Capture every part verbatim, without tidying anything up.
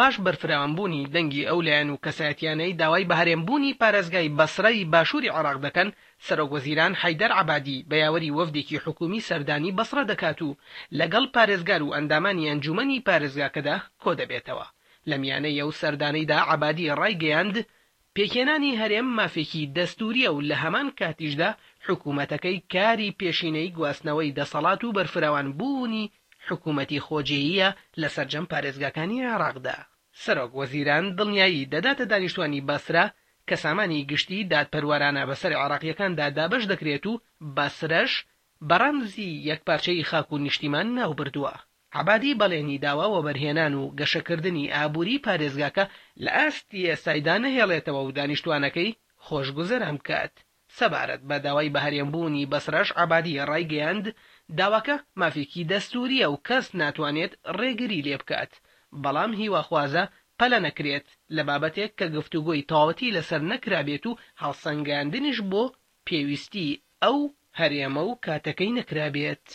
پاش بەرفراوانبوونی دەنگی ئەو لایەن و کەسایەتیانەی داوای بەهەرێمبوونی پارێزگای بەسرەی باشووری عێراق دەکەن، سەرۆکوەزیران حەیدەر عەبادی بە یاوەری وەفدێکی حکوومی سەردانی بەسرە دەکات و لەگەڵ پارێزگار و ئەندامانی ئەنجوومەنی پارێزگاکەدا کۆدەبێتەوە. لە میانەی ئەو سەردانەیدا عەبادی ڕایگەیاند، پێکهێنانی هەرێم مافێکی دەستوورییە و لە هەمان کاتیشدا حکوومەتەکەی کاری پێشینەی گواستنەوەی دەسەڵات و بەرفراوانبوونی حکوومەتی خۆجێییە لە سەرجەم پارێزگاکانی عێراقدا. سەرۆک وەزیران دڵنیایی دەداتە دانیشتوانی بەسرە کە سامانی گشتی دادپەروەرانە بەسەر عێراقییەکاندا دابەش دەکرێت و بەسرەش بە ڕەمزی یەکپارچەیی خاک و نیشتیمان ناوبردووە. عەبادی بەڵێنی داوە وەبەرهێنان و گەشەکردنی ئابووری پارێزگاکە لە ئاستی ئێستایدا نەهێڵێتەوە و دانیشتوانەکەی خۆشگوزەران بکات. سەبارەت بە داوای بەهەرێمبوونی بەسرەش عەبادی ڕایگەیاند، داواکە مافێکی دەستوورییە و کەس ناتوانێت ڕێگری لێبکات، بەڵام هیواخوازە پەلە نەکرێت لە بابەتێک کە گفتوگۆی تەواوەتی لەسەر نەکرابێت و هەڵسەنگاندنیش بۆ پێویستی ئەو هەرێمە و کاتەکەی نەکرابێت.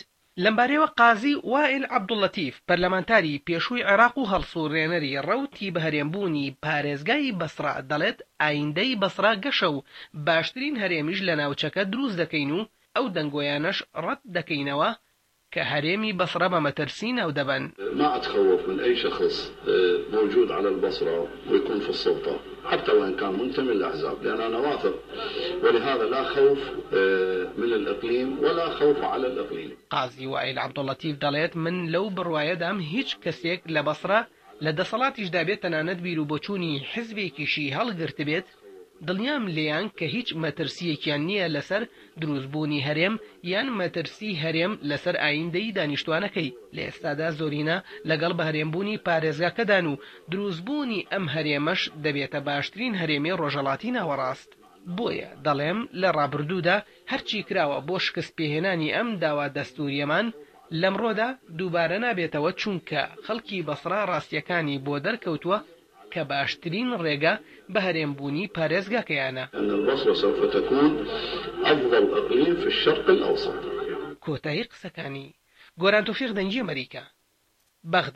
لەمبارەیەوە قازی وائیل عەبدوللەتیف، پەرلەمانتاری پێشووی عێراق و هەڵسوڕێنەری ڕەوتی بەهەرێمبوونی پارێزگای بەسڕە دەڵێت ئایندەی بەسڕە گەشە و باشترین هەرێمیش لە ناوچەکە دروست دەکەین و ئەو دەنگۆیانەش ڕەت دەکەینەوە کە هەرێمی بەسڕە بە مەترسی ناودەبەن. ما أتخوف من أي شخص موجود على البصرة ويكون في السلطة حتى وإن كان منتمي للأحزاب لأن أنا واثق ولهذا لا خوف من الإقليم ولا خوف على الإقليم. قازی وائیل عەبدوللەتیف دەڵێت من لەو بڕوایەدام هیچ کەسێک لە بەسڕە لە دەسەڵاتیشدا بێت تەنانەت بیروبۆچوونی حزبێکیشی هەڵگرتبێت دڵنیام لێیان کە هیچ مەترسییەکیان نییە لەسەر دروستبوونی هەرێم یان مەترسی هەرێم لەسەر ئایندەی دانیشتوانەکەی. لە ئێستادا زۆرینە لەگەڵ بەهەرێمبوونی پارێزگاکەدان و دروستبوونی ئەم هەرێمەش دەبێتە باشترین هەرێمی ڕۆژهەڵاتی ناوەڕاست. بۆیە دەڵێم لە ڕابردوودا هەرچی کراوە بۆ شکستپێهێنانی ئەم داوا دەستوورییەمان لەمڕۆدا دووبارە نابێتەوە چونکە خەڵکی بەسڕە ڕاستییەکانی بۆ دەرکەوتووە کە باشترین ڕێگە بەهەرێمبوونی پارێزگاکەیانە. ان البصرە سوف تكون افضل اقليم في الشرق الاوسط. کۆتایی قسەکانی، گۆران تۆفیق دەنگی ئەمەریکا، بەغدا.